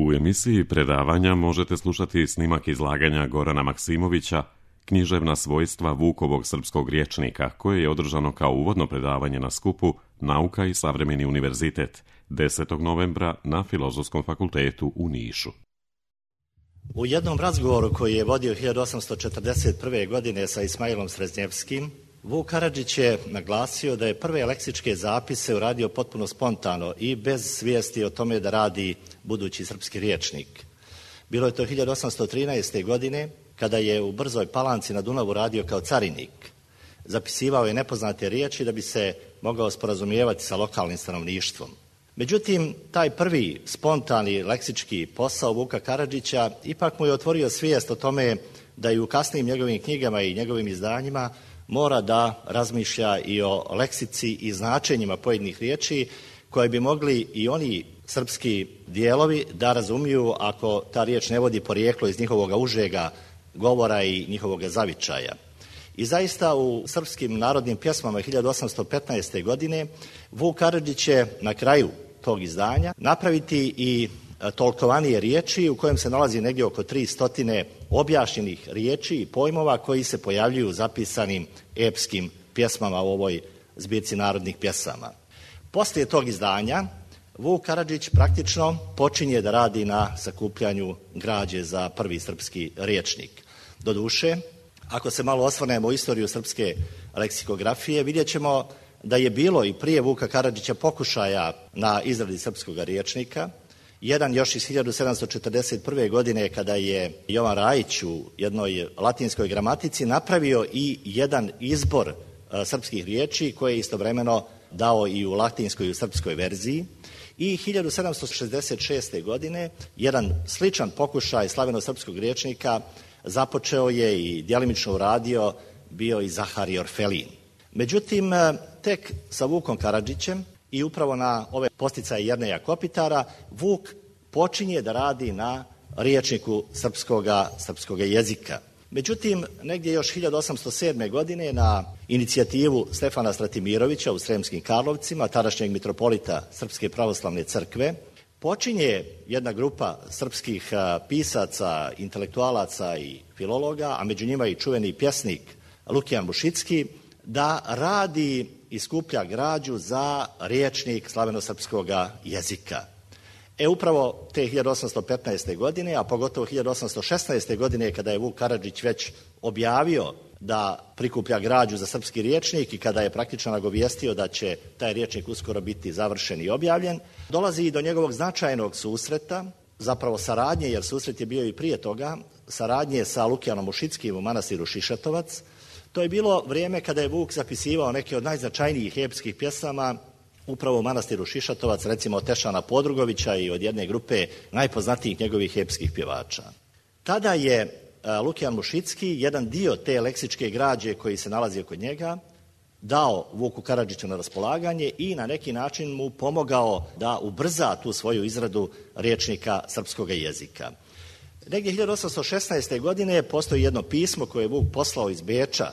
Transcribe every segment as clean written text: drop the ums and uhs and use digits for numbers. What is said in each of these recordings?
U emisiji predavanja možete slušati snimak izlaganja Gorana Maksimovića Književna svojstva Vukovog srpskog rječnika, koje je održano kao uvodno predavanje na skupu Nauka i savremeni univerzitet 10. novembra na Filozofskom fakultetu u Nišu. U jednom razgovoru koji je vodio 1841. godine sa Ismailom Sreznjevskim, Vuk Karadžić je naglasio da je prve leksičke zapise uradio potpuno spontano i bez svijesti o tome da radi budući srpski rječnik. Bilo je to 1813. godine kada je u Brzoj Palanci na Dunavu radio kao carinik. Zapisivao je nepoznate riječi da bi se mogao sporazumijevati sa lokalnim stanovništvom. Međutim, taj prvi spontani leksički posao Vuka Karadžića ipak mu je otvorio svijest o tome da i u kasnijim njegovim knjigama i njegovim izdanjima mora da razmišlja i o leksici i značenjima pojedinih riječi koje bi mogli i oni srpski dijelovi da razumiju ako ta riječ ne vodi porijeklo iz njihovog užega govora i njihovog zavičaja. I zaista u srpskim narodnim pjesmama 1815. godine Vuk Karadžić će na kraju tog izdanja napraviti i tolkovanije riječi u kojem se nalazi negdje oko 300 objašnjenih riječi i pojmova koji se pojavljuju u zapisanim epskim pjesmama u ovoj zbirci narodnih pjesama. Poslije tog izdanja Vuk Karadžić praktično počinje da radi na sakupljanju građe za prvi srpski rječnik. Doduše, ako se malo osvrnemo u istoriju srpske leksikografije, vidjet ćemo da je bilo i prije Vuka Karadžića pokušaja na izradi srpskog rječnika. Jedan još iz 1741. godine kada je Jovan Rajić u jednoj latinskoj gramatici napravio i jedan izbor srpskih riječi koje je istovremeno dao i u latinskoj i u srpskoj verziji. I 1766. godine jedan sličan pokušaj slaveno-srpskog rječnika započeo je i djelimično uradio bio i Zaharij Orfelin. Međutim, tek sa Vukom Karadžićem i upravo na ove posticaje Jerneja Kopitara Vuk počinje da radi na rječniku srpskoga jezika. Međutim, negdje još 1807. godine na inicijativu Stefana Stratimirovića u Sremskim Karlovcima, tadašnjeg mitropolita Srpske pravoslavne crkve, počinje jedna grupa srpskih pisaca, intelektualaca i filologa, a među njima i čuveni pjesnik Lukijan Mušicki, da radi i skuplja građu za rječnik slaveno-srpskoga jezika. Upravo te 1815. godine, a pogotovo 1816. godine kada je Vuk Karadžić već objavio da prikuplja građu za srpski rječnik i kada je praktično nagovijestio da će taj rječnik uskoro biti završen i objavljen, dolazi i do njegovog značajnog susreta, zapravo saradnje, jer susret je bio i prije toga, saradnje sa Lukijanom Mušickim u manastiru Šišatovac. To je bilo vrijeme kada je Vuk zapisivao neke od najznačajnijih epskih pjesama upravo u manastiru Šišatovac, recimo od Tešana Podrugovića i od jedne grupe najpoznatijih njegovih epskih pjevača. Tada je Lukijan Mušicki jedan dio te leksičke građe koji se nalazi kod njega dao Vuku Karadžiću na raspolaganje i na neki način mu pomogao da ubrza tu svoju izradu rječnika srpskog jezika. Negdje 1816. godine postoji jedno pismo koje je Vuk poslao iz Beča.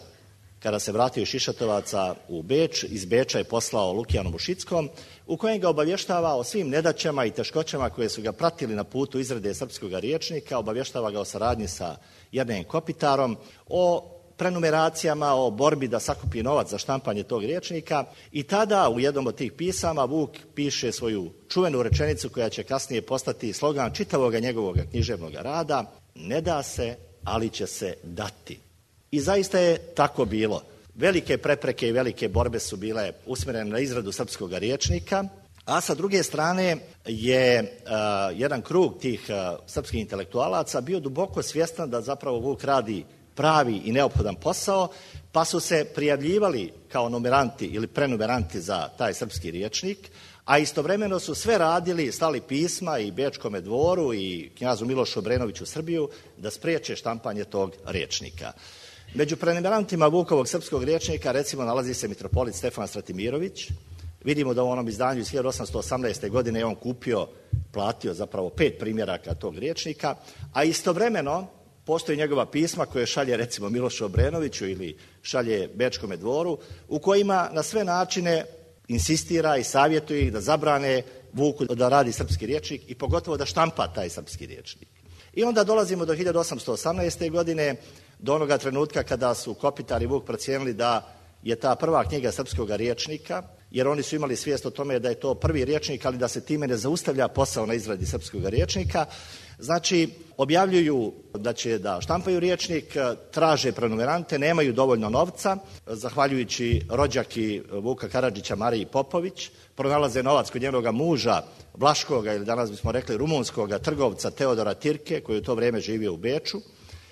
Kada se vratio iz Šišatovaca u Beč, iz Beča je poslao Lukijanu Mušickom, u kojem ga obavještava o svim nedaćama i teškoćama koje su ga pratili na putu izrade srpskog rječnika, obavještava ga o saradnji sa Jernejem Kopitarom, o prenumeracijama, o borbi da sakupi novac za štampanje tog rječnika i tada u jednom od tih pisama Vuk piše svoju čuvenu rečenicu koja će kasnije postati slogan čitavog njegovog književnog rada: ne da se, ali će se dati. I zaista je tako bilo. Velike prepreke i velike borbe su bile usmjerene na izradu srpskog rječnika, a sa druge strane je jedan krug tih srpskih intelektualaca bio duboko svjestan da zapravo Vuk radi pravi i neophodan posao, pa su se prijavljivali kao numeranti ili prenumeranti za taj srpski rječnik, a istovremeno su sve radili, slali pisma i Bečkome dvoru i knjazu Milošu Obrenoviću Srbiju da spriječe štampanje tog rječnika. Među prenumerantima Vukovog srpskog rječnika recimo nalazi se mitropolit Stefan Stratimirović. Vidimo da u onom izdanju iz 1818. godine je on platio zapravo 5 primjeraka tog rječnika, a istovremeno postoji njegova pisma koje šalje recimo Milošu Obrenoviću ili šalje Bečkome dvoru, u kojima na sve načine insistira i savjetuje ih da zabrane Vuku da radi srpski rječnik i pogotovo da štampa taj srpski rječnik. I onda dolazimo do 1818. godine, do onoga trenutka kada su Kopitar i Vuk procijenili da je ta prva knjiga srpskog rječnika, jer oni su imali svijest o tome da je to prvi rječnik, ali da se time ne zaustavlja posao na izradi srpskog rječnika. Znači, objavljuju da će da štampaju rječnik, traže prenumerante, nemaju dovoljno novca, zahvaljujući rođaki Vuka Karadžića Mariji Popović, pronalaze novac kod njenog muža, vlaškoga ili danas bismo rekli rumunskoga trgovca Teodora Tirke, koji u to vrijeme živio u Beču,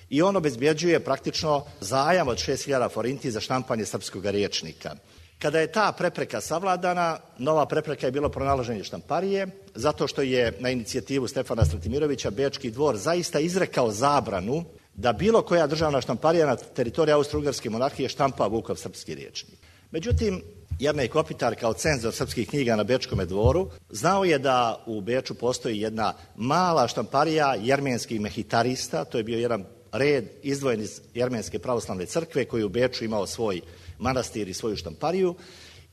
i on obezbjeđuje praktično zajam od 6.000 forinti za štampanje srpskog rječnika. Kada je ta prepreka savladana, nova prepreka je bilo pronalaženje štamparije, zato što je na inicijativu Stefana Stratimirovića Bečki dvor zaista izrekao zabranu da bilo koja državna štamparija na teritoriji Austro-Ugarske monarhije štampa Vukov srpski rječnik. Međutim, Jernej Kopitar kao cenzor srpskih knjiga na Bečkome dvoru znao je da u Beču postoji jedna mala štamparija jermenskih mehitarista, to je bio jedan red izdvojen iz Jermenske pravoslavne crkve koji u Beču imao svoj manastir i svoju štampariju,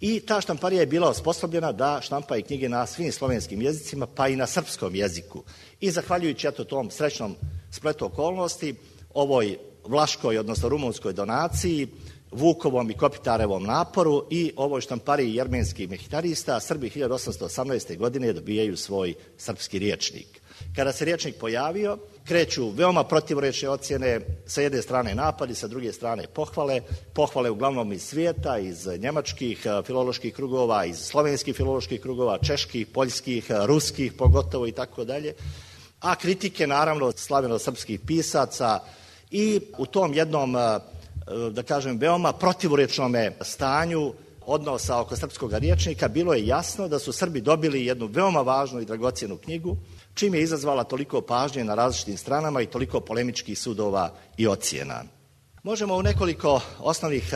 i ta štamparija je bila osposobljena da štampa i knjige na svim slovenskim jezicima, pa i na srpskom jeziku. I zahvaljujući tom srećnom spletu okolnosti, ovoj vlaškoj, odnosno rumunskoj donaciji, Vukovom i Kopitarevom naporu i ovoj štampariji jermenskih mehitarista, Srbi 1818. godine dobijaju svoj srpski rječnik. Kada se rječnik pojavio, kreću veoma protivrečne ocjene, sa jedne strane napadi, sa druge strane pohvale uglavnom iz svijeta, iz njemačkih filoloških krugova, iz slovenskih filoloških krugova, čeških, poljskih, ruskih pogotovo i tako dalje, a kritike naravno slaveno-srpskih pisaca. I u tom jednom, da kažem, veoma protivrečnom stanju odnosa oko srpskog rječnika bilo je jasno da su Srbi dobili jednu veoma važnu i dragocjenu knjigu, čim je izazvala toliko pažnje na različitim stranama i toliko polemičkih sudova i ocjena. Možemo u nekoliko osnovnih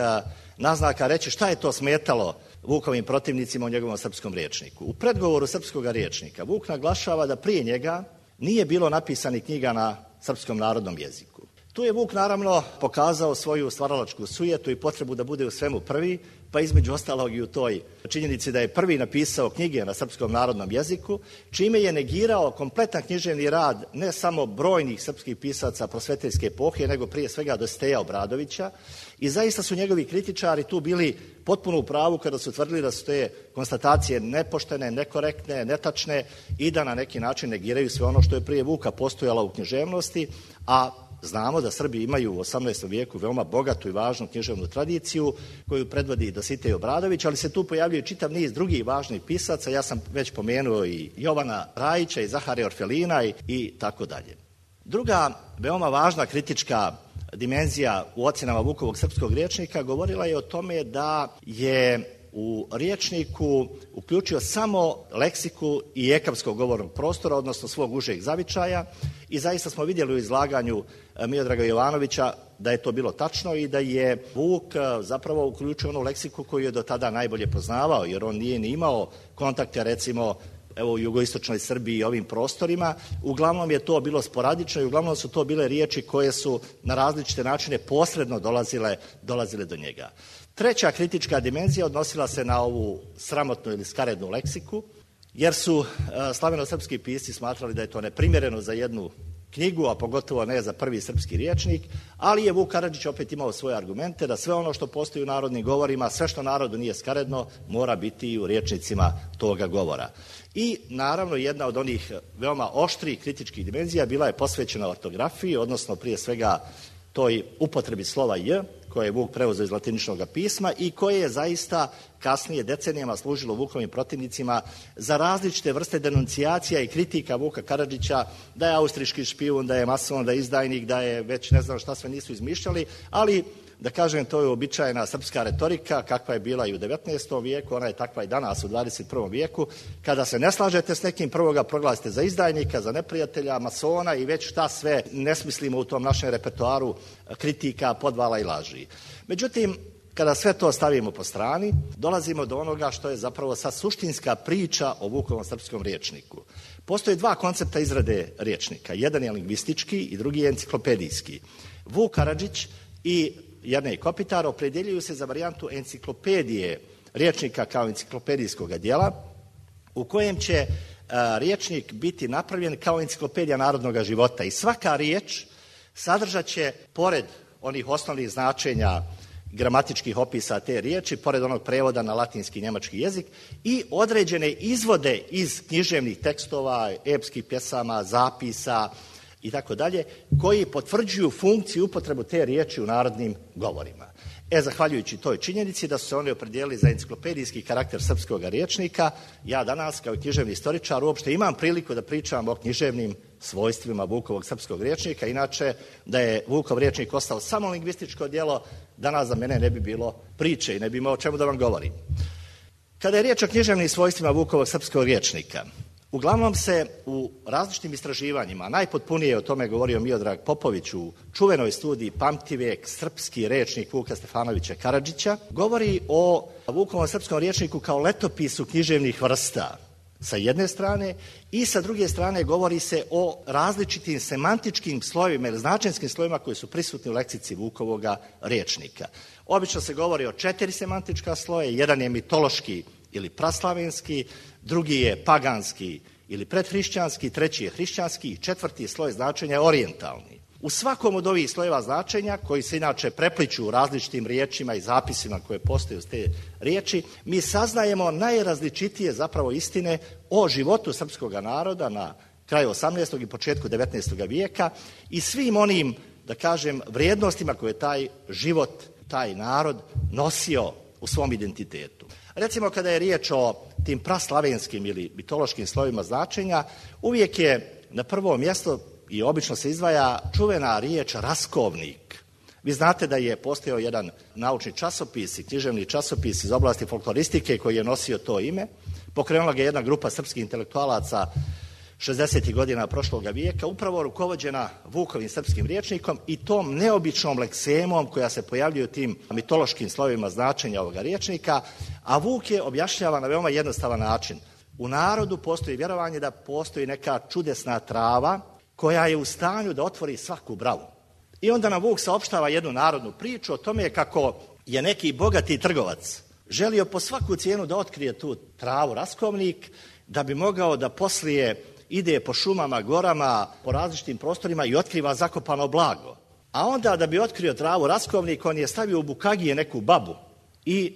naznaka reći šta je to smetalo Vukovim protivnicima u njegovom srpskom rječniku. U predgovoru srpskog rječnika Vuk naglašava da prije njega nije bilo napisanih knjiga na srpskom narodnom jeziku. Tu je Vuk naravno pokazao svoju stvaralačku sujetu i potrebu da bude u svemu prvi, pa između ostalog i u toj činjenici da je prvi napisao knjige na srpskom narodnom jeziku, čime je negirao kompletan književni rad ne samo brojnih srpskih pisaca prosvetiteljske epohe, nego prije svega Dositeja Obradovića, i zaista su njegovi kritičari tu bili potpuno u pravu kada su tvrdili da su te konstatacije nepoštene, nekorektne, netačne i da na neki način negiraju sve ono što je prije Vuka postojalo u književnosti, a znamo da Srbi imaju u 18. vijeku veoma bogatu i važnu književnu tradiciju koju predvodi Dositej Obradović, ali se tu pojavljuje čitav niz drugih važnih pisaca. Ja sam već pomenuo i Jovana Rajića i Zaharija Orfelina i tako dalje. Druga veoma važna kritička dimenzija u ocjenama Vukovog srpskog rječnika govorila je o tome da je u rječniku uključio samo leksiku i ekavskog govornog prostora, odnosno svog užeg zavičaja, i zaista smo vidjeli u izlaganju Miodraga Jovanovića da je to bilo tačno i da je Vuk zapravo uključio onu leksiku koju je do tada najbolje poznavao, jer on nije ni imao kontakte recimo u jugoistočnoj Srbiji i ovim prostorima. Uglavnom je to bilo sporadično i uglavnom su to bile riječi koje su na različite načine posredno dolazile do njega. Treća kritička dimenzija odnosila se na ovu sramotnu ili skarednu leksiku, jer su slaveno-srpski pisci smatrali da je to neprimjereno za jednu knjigu, a pogotovo ne za prvi srpski rječnik, ali je Vuk Karadžić opet imao svoje argumente da sve ono što postoji u narodnim govorima, sve što narodu nije skaredno, mora biti i u rječnicima toga govora. I naravno jedna od onih veoma oštrih kritičkih dimenzija bila je posvećena ortografiji, odnosno prije svega toj upotrebi slova J, koje je Vuk preuzeo iz latiničnog pisma i koje je zaista kasnije decenijama služilo Vukovim protivnicima za različite vrste denuncijacija i kritika Vuka Karadžića, da je austrijski špijun, da je mason, da je izdajnik, da je već ne znam šta sve nisu izmišljali, ali da kažem, to je uobičajena srpska retorika kakva je bila i u 19. vijeku, ona je takva i danas u 21. vijeku. Kada se ne slažete s nekim, prvo ga proglasite za izdajnika, za neprijatelja, masona i već šta sve ne smislimo u tom našem repertoaru kritika, podvala i laži. Međutim, kada sve to stavimo po strani, dolazimo do onoga što je zapravo sad suštinska priča o Vukovom srpskom rječniku. Postoje dva koncepta izrade rječnika. Jedan je lingvistički i drugi je enciklopedijski. Vuk Karadžić i Jernej Kopitar opredjeljuju se za varijantu enciklopedije rječnika kao enciklopedijskog dijela, u kojem će rječnik biti napravljen kao enciklopedija narodnog života i svaka riječ sadržat će, pored onih osnovnih značenja gramatičkih opisa te riječi, pored onog prevoda na latinski i njemački jezik, i određene izvode iz književnih tekstova, epskih pjesama, zapisa i tako dalje, koji potvrđuju funkciju i upotrebu te riječi u narodnim govorima. Zahvaljujući toj činjenici da su se oni opredijelili za enciklopedijski karakter srpskog rječnika, ja danas kao književni istoričar uopšte imam priliku da pričam o književnim svojstvima Vukovog srpskog rječnika. Inače, da je Vukov rječnik ostao samo lingvističko djelo, danas za mene ne bi bilo priče i ne bi imao o čemu da vam govorim. Kada je riječ o književnim svojstvima Vukovog srpskog rječnika, uglavnom se u različitim istraživanjima, najpotpunije o tome govorio Miodrag Popović u čuvenoj studiji Pamtivijek, srpski rječnik Vuka Stefanovića Karadžića, govori o Vukovom srpskom rječniku kao letopisu književnih vrsta sa jedne strane i sa druge strane govori se o različitim semantičkim slojevima ili značenskim slojevima koji su prisutni u leksici Vukovoga rječnika. Obično se govori o 4 semantička sloja, jedan je mitološki ili praslavenski, drugi je paganski ili predhrišćanski, treći je hrišćanski i četvrti sloj značenja je orijentalni. U svakom od ovih slojeva značenja, koji se inače prepliču u različitim riječima i zapisima koje postoje uz te riječi, mi saznajemo najrazličitije zapravo istine o životu srpskog naroda na kraju 18. i početku 19. vijeka i svim onim, da kažem, vrijednostima koje taj život, taj narod nosio u svom identitetu. Recimo, kada je riječ o tim praslavenskim ili mitološkim slovima značenja, uvijek je na prvo mjesto i obično se izdvaja čuvena riječ raskovnik. Vi znate da je postojao jedan naučni časopis i književni časopis iz oblasti folkloristike koji je nosio to ime. Pokrenula ga jedna grupa srpskih intelektualaca 60. godina prošloga vijeka, upravo rukovođena Vukovim srpskim rječnikom i tom neobičnom leksemom koja se pojavljuje u tim mitološkim slovima značenja ovoga rječnika, a Vuk je objašnjava na veoma jednostavan način. U narodu postoji vjerovanje da postoji neka čudesna trava koja je u stanju da otvori svaku bravu. I onda nam Vuk saopštava jednu narodnu priču o tome kako je neki bogati trgovac želio po svaku cijenu da otkrije tu travu raskovnik, da bi mogao da poslije ide po šumama, gorama, po različitim prostorima i otkriva zakopano blago. A onda da bi otkrio travu raskovnik, on je stavio u bukagije neku babu i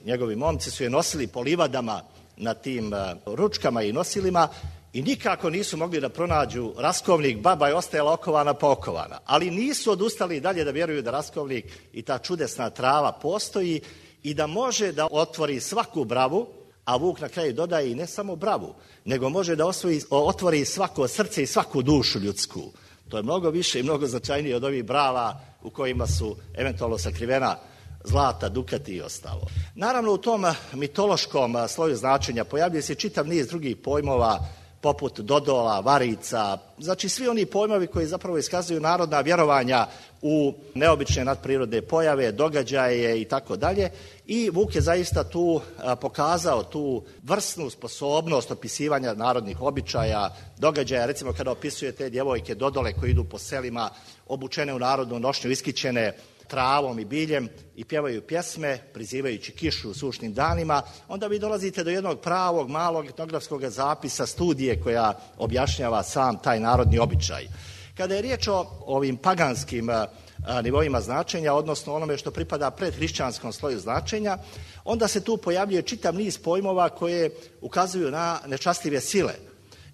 njegovi momci su je nosili po livadama na tim ručkama i nosilima i nikako nisu mogli da pronađu raskovnik, baba je ostajala okovana pa okovana. Ali nisu odustali dalje da vjeruju da raskovnik i ta čudesna trava postoji i da može da otvori svaku bravu, a Vuk na kraju dodaje i ne samo bravu, nego može da otvori svako srce i svaku dušu ljudsku. To je mnogo više i mnogo značajnije od ovih brava u kojima su eventualno sakrivena zlata, dukati i ostalo. Naravno, u tom mitološkom sloju značenja pojavljuje se čitav niz drugih pojmova, poput dodola, varica, znači svi oni pojmovi koji zapravo iskazuju narodna vjerovanja u neobične nadprirodne pojave, događaje i tako dalje. I Vuk je zaista tu pokazao tu vrsnu sposobnost opisivanja narodnih običaja, događaja, recimo kada opisuje te djevojke dodole koje idu po selima, obučene u narodnu nošnju, iskićene travom i biljem i pjevaju pjesme, prizivajući kišu u sušnim danima, onda vi dolazite do jednog pravog, malog etnografskog zapisa, studije koja objašnjava sam taj narodni običaj. Kada je riječ o ovim paganskim nivoima značenja, odnosno onome što pripada predhrišćanskom sloju značenja, onda se tu pojavljuje čitav niz pojmova koje ukazuju na nečastljive sile,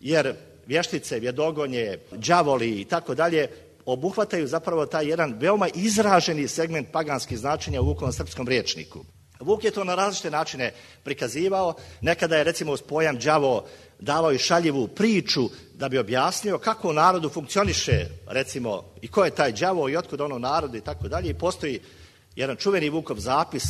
jer vještice, vjedogonje, đavoli i tako dalje obuhvataju zapravo taj jedan veoma izraženi segment paganskih značenja u Vukovom srpskom rječniku. Vuk je to na različite načine prikazivao. Nekada je recimo uz pojam đavo davao i šaljivu priču da bi objasnio kako u narodu funkcioniše recimo i ko je taj đavo i otkud ono narodu i tako dalje. I postoji jedan čuveni Vukov zapis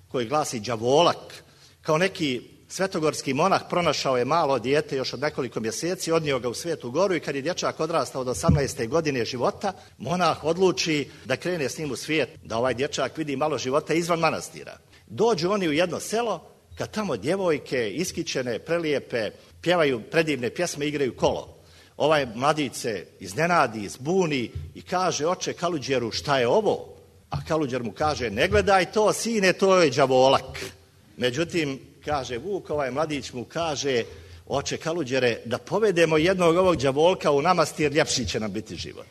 koji glasi đavolak. Kao neki svetogorski monah pronašao je malo dijete još od nekoliko mjeseci, odnio ga u Svetu Goru i kad je dječak odrastao do 18. godine života, monah odluči da krene s njim u svijet, da ovaj dječak vidi malo života izvan manastira. Dođu oni u jedno selo, kad tamo djevojke iskićene, prelijepe, pjevaju predivne pjesme, igraju kolo. Ovaj mladić se iznenadi, zbuni i kaže: oče Kaluđeru, šta je ovo? A Kaluđer mu kaže: ne gledaj to, sine, to je đavolak. Međutim, kaže Vuk, ovaj mladić mu kaže, oče Kaluđere, da povedemo jednog ovog đavolka u namastir, ljepši će nam biti život.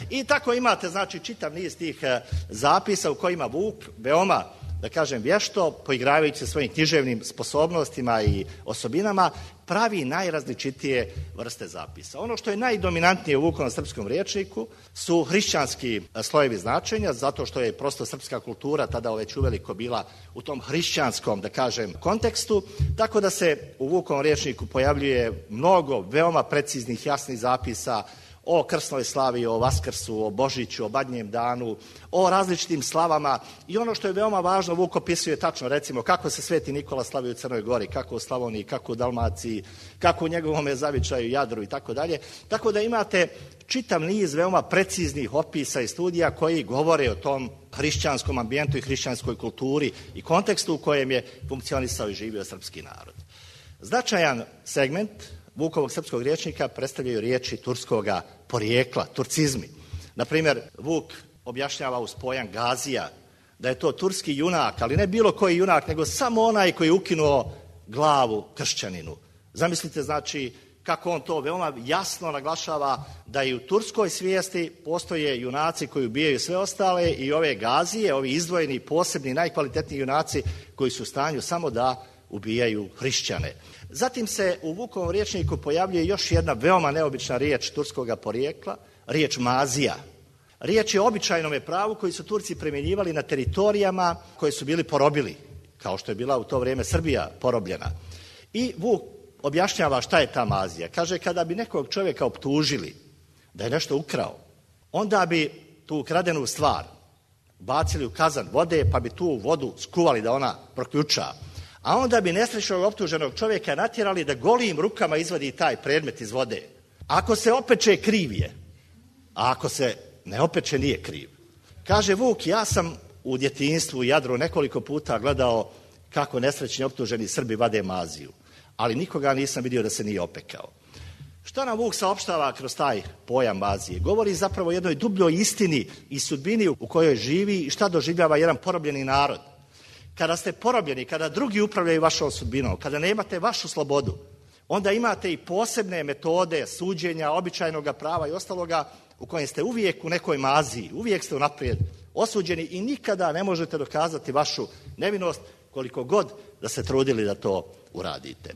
I tako imate, znači, čitav niz tih zapisa u kojima Vuk veoma, da kažem, vješto, poigravajući se svojim književnim sposobnostima i osobinama, pravi najrazličitije vrste zapisa. Ono što je najdominantnije u Vukovom srpskom rječniku su hrišćanski slojevi značenja, zato što je prosto srpska kultura tada već uveliko bila u tom hrišćanskom, da kažem, kontekstu, tako da se u Vukovom rječniku pojavljuje mnogo veoma preciznih, jasnih zapisa o krsnoj slavi, o Vaskrsu, o Božiću, o Badnjem danu, o različitim slavama. I ono što je veoma važno, Vuk opisuje tačno, recimo, kako se Sveti Nikola slavi u Crnoj Gori, kako u Slavoniji, kako u Dalmaciji, kako u njegovom zavičaju, Jadru i tako dalje. Tako da imate čitav niz veoma preciznih opisa i studija koji govore o tom hrišćanskom ambijentu i hrišćanskoj kulturi i kontekstu u kojem je funkcionisao i živio srpski narod. Značajan segment Vukovog srpskog rječnika predstavljaju riječi turskoga porijekla, turcizmi. Naprimjer, Vuk objašnjava uz pojam Gazija da je to turski junak, ali ne bilo koji junak, nego samo onaj koji je ukinuo glavu kršćaninu. Zamislite, znači, kako on to veoma jasno naglašava da i u turskoj svijesti postoje junaci koji ubijaju sve ostale i ove Gazije, ovi izdvojeni, posebni, najkvalitetniji junaci koji su u stanju samo da ubijaju hrišćane. Zatim se u Vukovom rječniku pojavljuje još jedna veoma neobična riječ turskoga porijekla, riječ mazija. Riječ je o običajnome pravu koji su Turci primjenjivali na teritorijama koje su bili porobili, kao što je bila u to vrijeme Srbija porobljena. I Vuk objašnjava šta je ta mazija. Kaže, kada bi nekog čovjeka optužili da je nešto ukrao, onda bi tu ukradenu stvar bacili u kazan vode, pa bi tu vodu skuvali da ona proključa. A onda bi nesrećnog optuženog čovjeka natjerali da golim rukama izvadi taj predmet iz vode. Ako se opeče, kriv je, a ako se ne opeče, nije kriv. Kaže Vuk, ja sam u djetinjstvu u Jadru nekoliko puta gledao kako nesrećni optuženi Srbi vade maziju, ali nikoga nisam vidio da se nije opekao. Šta nam Vuk saopštava kroz taj pojam mazije? Govori zapravo o jednoj dubljoj istini i sudbini u kojoj živi i šta doživljava jedan porobljeni narod. Kada ste porobljeni, kada drugi upravljaju vašom sudbinom, kada nemate vašu slobodu, onda imate i posebne metode suđenja, običajnog prava i ostaloga u kojem ste uvijek u nekoj maziji, uvijek ste unaprijed osuđeni i nikada ne možete dokazati vašu nevinost koliko god da se trudili da to uradite.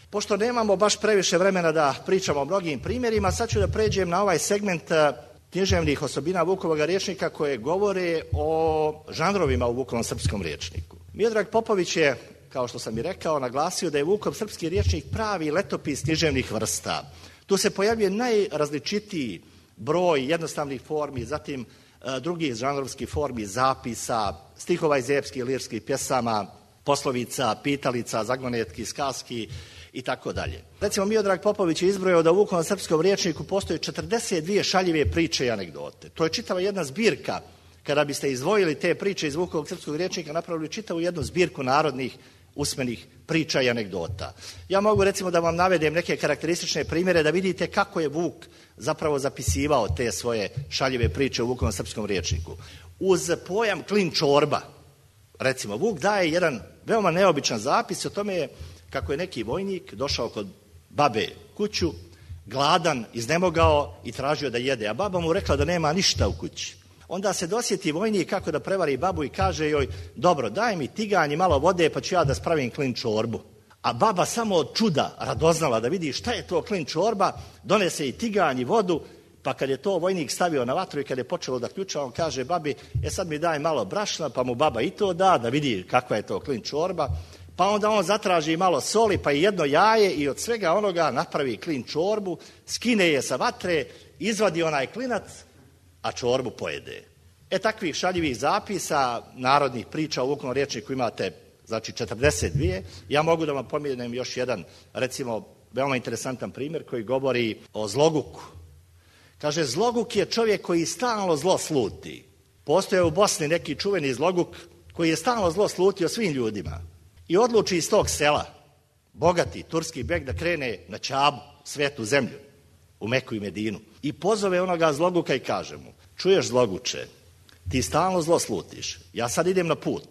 Pošto nemamo baš previše vremena da pričamo o mnogim primjerima, sad ću da pređem na ovaj segment književnih osobina Vukovog rječnika koje govore o žanrovima u Vukovom srpskom rječniku. Miodrag Popović je, kao što sam i rekao, naglasio da je Vukov srpski rječnik pravi letopis književnih vrsta. Tu se pojavljuje najrazličitiji broj jednostavnih formi, zatim drugih žanrovskih formi, zapisa, stihova iz epskih, lirskih pjesama, poslovica, pitalica, zagonetki, skaski i tako dalje. Recimo, Miodrag Popović je izbrojao da u Vukovom srpskom rječniku postoje 42 šaljive priče i anegdote. To je čitava jedna zbirka. Kada biste izdvojili te priče iz Vukovog srpskog rječnika, napravili čitavu jednu zbirku narodnih usmenih priča i anegdota. Ja mogu recimo da vam navedem neke karakteristične primjere da vidite kako je Vuk zapravo zapisivao te svoje šaljive priče u Vukovom srpskom rječniku. Uz pojam klin čorba, recimo, Vuk daje jedan veoma neobičan zapis o tome kako je neki vojnik došao kod babe kuću, gladan, iznemogao i tražio da jede, a baba mu rekla da nema ništa u kući. Onda se dosjeti vojnik kako da prevari babu i kaže joj, dobro, daj mi tiganj i malo vode pa ću ja da spravim klin čorbu. A baba samo od čuda radoznala da vidi šta je to klin čorba, donese i tiganj i vodu, pa kad je to vojnik stavio na vatru i kad je počelo da ključa, on kaže babi, sad mi daj malo brašna, pa mu baba i to da vidi kakva je to klin čorba. Pa onda on zatraži malo soli, pa i jedno jaje i od svega onoga napravi klin čorbu, skine je sa vatre, izvadi onaj klinac, a čorbu pojede. Takvih šaljivih zapisa, narodnih priča u Vukovom rječniku imate, znači, 42. Ja mogu da vam pomenem još jedan, recimo, veoma interesantan primjer koji govori o zloguku. Kaže, zloguk je čovjek koji stalno zlo sluti. Postoje u Bosni neki čuveni zloguk koji je stalno zlo slutio svim ljudima. I odluči iz tog sela, bogati turski beg, da krene na Čabu, svetu zemlju, u Meku i Medinu. I pozove onoga zloguka i kaže mu, čuješ zloguče, ti stalno zlo slutiš, ja sad idem na put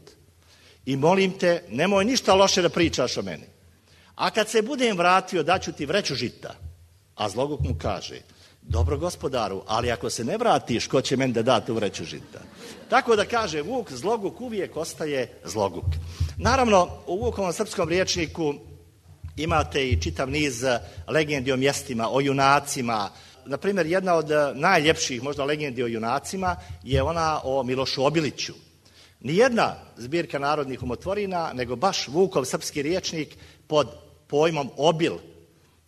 i molim te, nemoj ništa loše da pričaš o meni. A kad se budem vratio, daću ti vreću žita. A zloguk mu kaže, dobro gospodaru, ali ako se ne vratiš, ko će meni da da tu vreću žita? Tako da kaže Vuk, zloguk uvijek ostaje zloguk. Naravno, u Vukovom srpskom rječniku imate i čitav niz legendi o mjestima, o junacima. Naprimjer, jedna od najljepših možda legendi o junacima je ona o Milošu Obiliću. Nijedna zbirka narodnih umotvorina, nego baš Vukov srpski rječnik pod pojmom obil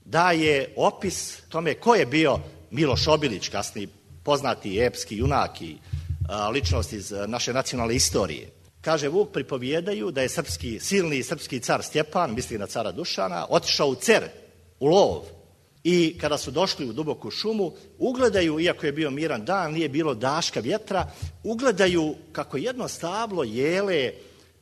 daje opis tome ko je bio Miloš Obilić, kasniji poznati epski junak i ličnost iz naše nacionalne istorije. Kaže Vuk, pripovijedaju da je silni srpski car Stjepan, misli na cara Dušana, otišao u Cer, u lov. I kada su došli u duboku šumu, ugledaju, iako je bio miran dan, nije bilo daška vjetra, ugledaju kako jedno stablo jele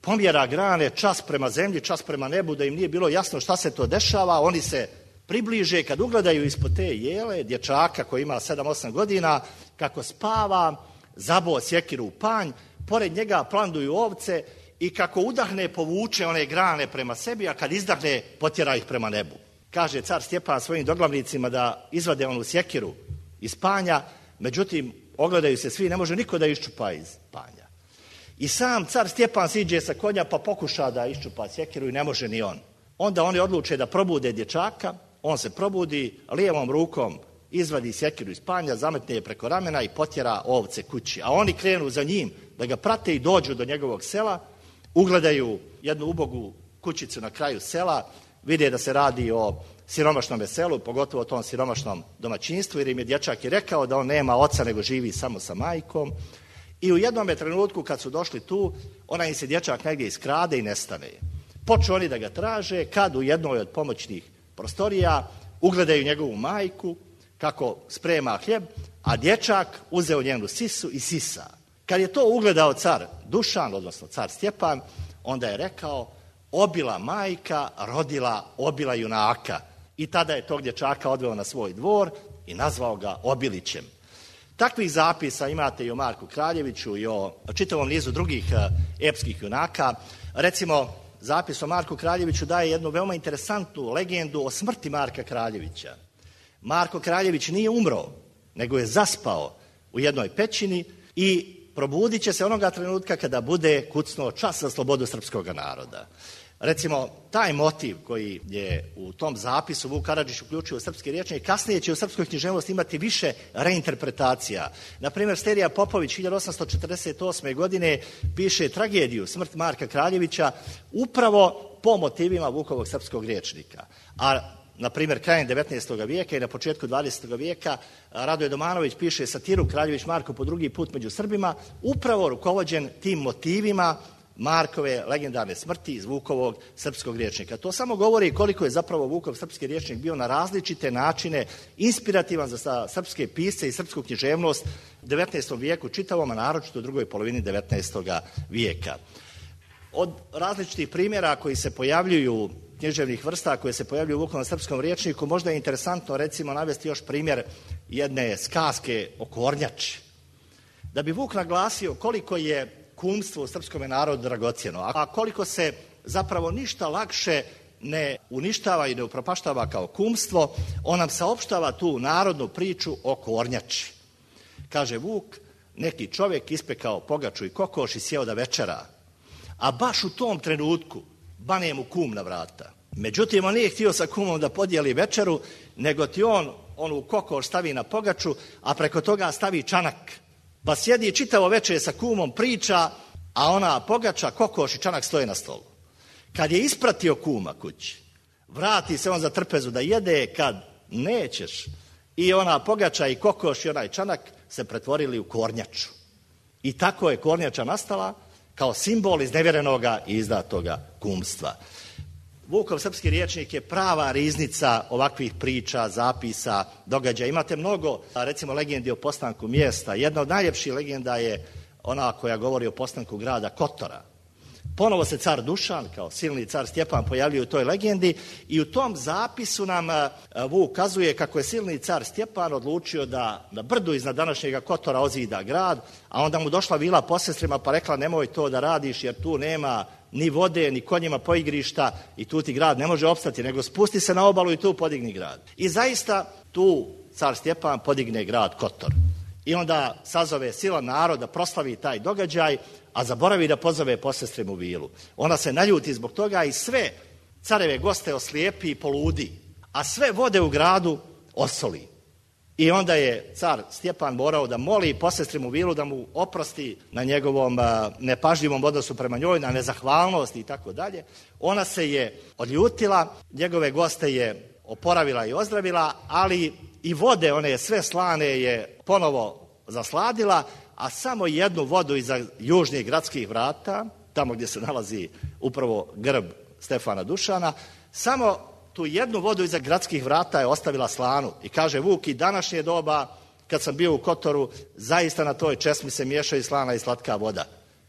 pomjera grane čas prema zemlji, čas prema nebu, da im nije bilo jasno šta se to dešava. Oni se približe, kad ugledaju ispod te jele, dječaka koji ima 7-8 godina, kako spava, zaboo sjekiru u panj, pored njega planduju ovce i kako udahne, povuče one grane prema sebi, a kad izdahne, potjera ih prema nebu. Kaže car Stjepan svojim doglavnicima da izvade onu sjekiru iz panja, međutim, ogledaju se svi, ne može niko da iščupa iz panja. I sam car Stjepan siđe sa konja pa pokuša da iščupa sjekiru i ne može ni on. Onda oni odluče da probude dječaka, on se probudi, lijevom rukom izvadi sjekiru iz panja, zametne je preko ramena i potjera ovce kući. A oni krenu za njim da ga prate i dođu do njegovog sela, ugledaju jednu ubogu kućicu na kraju sela, vide da se radi o siromašnom selu, pogotovo o tom siromašnom domaćinstvu, jer im je dječak i rekao da on nema oca nego živi samo sa majkom. I u jednom trenutku kad su došli tu, ona im se dječak negdje iskrade i nestane. Počnu oni da ga traže, kad u jednoj od pomoćnih prostorija ugledaju njegovu majku kako sprema hljeb, a dječak uzeo njenu sisu i sisa. Kad je to ugledao car Dušan, odnosno car Stjepan, onda je rekao, obila majka rodila obila junaka. I tada je tog dječaka odveo na svoj dvor i nazvao ga Obilićem. Takvih zapisa imate i o Marku Kraljeviću i o čitavom nizu drugih epskih junaka. Recimo, zapis o Marku Kraljeviću daje jednu veoma interesantnu legendu o smrti Marka Kraljevića. Marko Kraljević nije umro, nego je zaspao u jednoj pećini i probudit će se onoga trenutka kada bude kucnuo čas za slobodu srpskog naroda. Recimo, taj motiv koji je u tom zapisu Vuk Karadžić uključio u srpski rječnik, kasnije će u srpskoj književnosti imati više reinterpretacija. Naprimjer, Sterija Popović 1848. godine piše tragediju Smrt Marka Kraljevića upravo po motivima Vukovog srpskog rječnika. A na primjer, krajem 19. vijeka i na početku 20. vijeka Radoje Domanović piše satiru Kraljević Marko po drugi put među Srbima, upravo rukovođen tim motivima Markove legendarne smrti iz Vukovog srpskog rječnika. To samo govori koliko je zapravo Vukov srpski rječnik bio na različite načine inspirativan za srpske pisce i srpsku književnost u 19. vijeku čitavom, a naročito u drugoj polovini 19. vijeka. Od različitih primjera koji se pojavljuju, književnih vrsta koje se pojavljuju u Vukovom srpskom rječniku, možda je interesantno recimo navesti još primjer jedne skaske o kornjači. Da bi Vuk naglasio koliko je kumstvo u srpskom narodu dragocjeno, a koliko se zapravo ništa lakše ne uništava i ne upropaštava kao kumstvo, on nam saopštava tu narodnu priču o kornjači. Kaže Vuk, neki čovjek ispekao pogaču i kokoš i sjeo da večera, a baš u tom trenutku bane mu kum na vrata. Međutim, on nije htio sa kumom da podijeli večeru, nego ti on onu kokoš stavi na pogaču, a preko toga stavi čanak. Pa sjedi čitavo večer sa kumom, priča, a ona pogača, kokoš i čanak stoje na stolu. Kad je ispratio kuma kući, vrati se on za trpezu da jede, kad nećeš, i ona pogača i kokoš i onaj čanak se pretvorili u kornjaču. I tako je kornjača nastala kao simbol iznevjerenoga i izdatoga kumstva. Vukov srpski rječnik je prava riznica ovakvih priča, zapisa, događaja. Imate mnogo, recimo, legendi o postanku mjesta. Jedna od najljepših legenda je ona koja govori o postanku grada Kotora. Ponovo se car Dušan, kao silni car Stjepan, pojavljuje u toj legendi i u tom zapisu nam Vuk kazuje kako je silni car Stjepan odlučio da na brdu iznad današnjega Kotora ozida grad, a onda mu došla vila posestrima pa rekla nemoj to da radiš jer tu nema ni vode, ni konjima poigrišta i tu ti grad ne može opstati, nego spusti se na obalu i tu podigni grad. I zaista tu car Stjepan podigne grad Kotor. I onda sazove sila naroda, proslavi taj događaj, a zaboravi da pozove posestrimu Vilu. Ona se naljuti zbog toga i sve careve goste oslijepi i poludi, a sve vode u gradu osoli. I onda je car Stjepan morao da moli posestrimu Vilu da mu oprosti na njegovom nepažljivom odnosu prema njoj, na nezahvalnosti i tako dalje. Ona se je odljutila, njegove goste je oporavila i ozdravila, ali i vode, one sve slane, je ponovo zasladila, a samo jednu vodu iza južnih gradskih vrata, tamo gdje se nalazi upravo grb Stefana Dušana, samo tu jednu vodu iza gradskih vrata je ostavila slanu. I kaže Vuk, i današnje doba, kad sam bio u Kotoru, zaista na toj česmi se miješaju slana i slatka voda.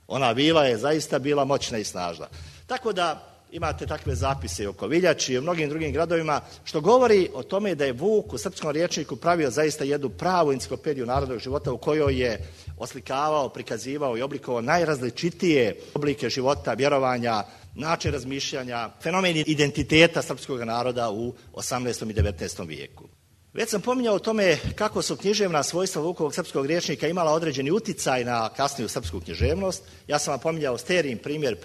Ona vila je zaista bila moćna i snažna. Tako da imate takve zapise i oko Viljači i u mnogim drugim gradovima, što govori o tome da je Vuk u srpskom rječniku pravio zaista jednu pravu enciklopediju narodnog života u kojoj je oslikavao, prikazivao i oblikovao najrazličitije oblike života, vjerovanja, način razmišljanja, fenomeni identiteta srpskog naroda u 18. i 19. vijeku. Već sam pominjao o tome kako su književna svojstva Vukovog srpskog rječnika imala određeni uticaj na kasniju srpsku književnost. Ja sam vam pominjao Sterijin primjer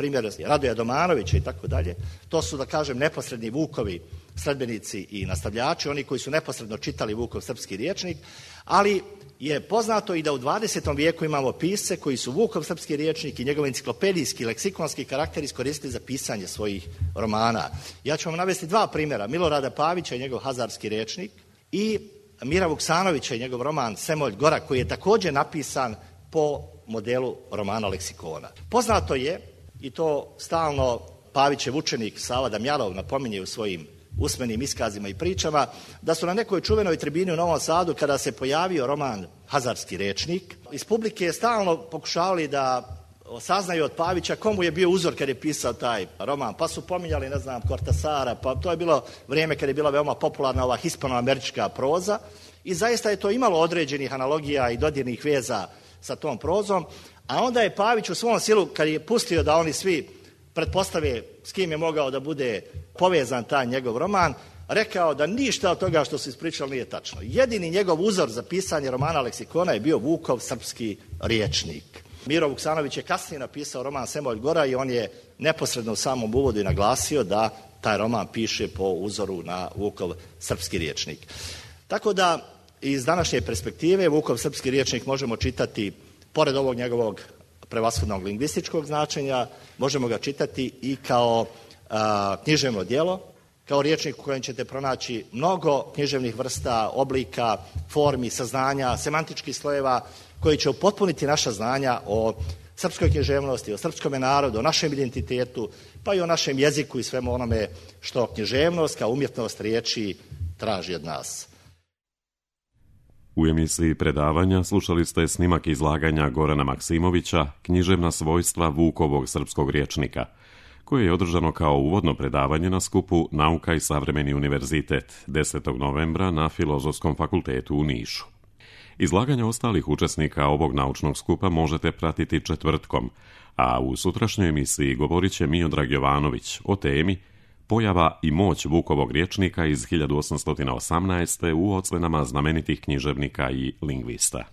Radoja Domanovića i tako dalje. To su, da kažem, neposredni Vukovi sledbenici i nastavljači, oni koji su neposredno čitali Vukov srpski rječnik, ali je poznato i da u 20. vijeku imamo pisce koji su Vukov srpski rječnik i njegov enciklopedijski, leksikonski karakter iskoristili za pisanje svojih romana. Ja ću vam navesti dva primjera, Milorada Pavića i njegov hazarski rječnik i Mira Vuksanovića i njegov roman Semolj Gora, koji je također napisan po modelu romana leksikona. Poznato je, i to stalno Pavićev učenik Sava Damjanov napominje u svojim usmenim iskazima i pričama, da su na nekoj čuvenoj tribini u Novom Sadu, kada se pojavio roman Hazarski rječnik, iz publike stalno pokušavali da saznaju od Pavića komu je bio uzor kad je pisao taj roman, pa su pominjali, ne znam, Kortasara, pa to je bilo vrijeme kad je bila veoma popularna ova hispanoamerička proza i zaista je to imalo određenih analogija i dodirnih veza sa tom prozom, a onda je Pavić u svom silu, kad je pustio da oni svi pretpostave s kim je mogao da bude povezan taj njegov roman, rekao da ništa od toga što su ispričali nije tačno. Jedini njegov uzor za pisanje romana leksikona je bio Vukov srpski rječnik. Miro Vuksanović je kasnije napisao roman Semolj Gora i on je neposredno u samom uvodu i naglasio da taj roman piše po uzoru na Vukov srpski rječnik. Tako da iz današnje perspektive Vukov srpski rječnik možemo čitati, pored ovog njegovog prevashodnog lingvističkog značenja, možemo ga čitati i kao književno djelo, kao rječnik u kojem ćete pronaći mnogo književnih vrsta, oblika, formi, saznanja, semantičkih slojeva koji će upotpuniti naša znanja o srpskoj književnosti, o srpskome narodu, o našem identitetu, pa i o našem jeziku i svemu onome što književnost kao umjetnost riječi traži od nas. U emisiji predavanja slušali ste snimak izlaganja Gorana Maksimovića Književna svojstva Vukovog srpskog rječnika, koje je održano kao uvodno predavanje na skupu Nauka i savremeni univerzitet 10. novembra na Filozofskom fakultetu u Nišu. Izlaganja ostalih učesnika ovog naučnog skupa možete pratiti četvrtkom, a u sutrašnjoj emisiji govorit će Miodrag Jovanović o temi Pojava i moć Vukovog rječnika iz 1818. u ocenama znamenitih književnika i lingvista.